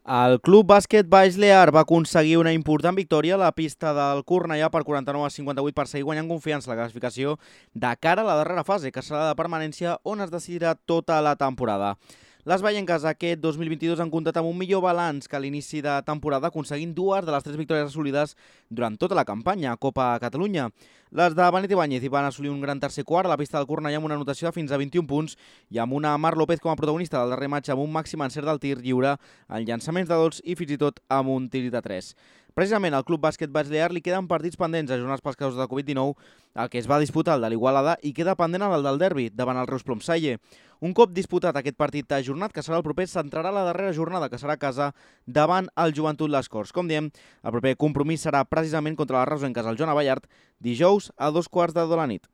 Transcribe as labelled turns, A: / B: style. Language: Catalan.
A: El Club Bàsquet Baix Lear va aconseguir una important victòria a la pista del Cornellà per 49-58 per seguir guanyant confiança a la classificació de cara a la darrera fase, que serà la de permanència, on es decidirà tota la temporada. Les baienques aquest 2022 han comptat amb un millor balanç que a l'inici de temporada, aconseguint dues de les 3 victòries assolides durant tota la campanya a Copa Catalunya. Les de Benet Ibáñez hi van assolir un gran tercer quart a la pista del Cornellà amb una anotació de fins a 21 punts i amb una Mar López com a protagonista del darrer matx amb un màxim encert del tir lliure, en llançaments de dols i fins i tot amb un tir de 3. Precisament al Club Bàsquet Baix Lear li queden partits pendents ajornats pels casos de Covid-19, el que es va disputar el de l'Igualada i queda pendent el del derbi davant el Reus Plomsalle. Un cop disputat aquest partit ajornat, que serà el proper, s'entrarà la darrera jornada, que serà a casa davant el Joventut Les Corts. Com diem, el proper compromís serà precisament contra les reusenques al Joan Abellart dijous a 2:15 de la nit.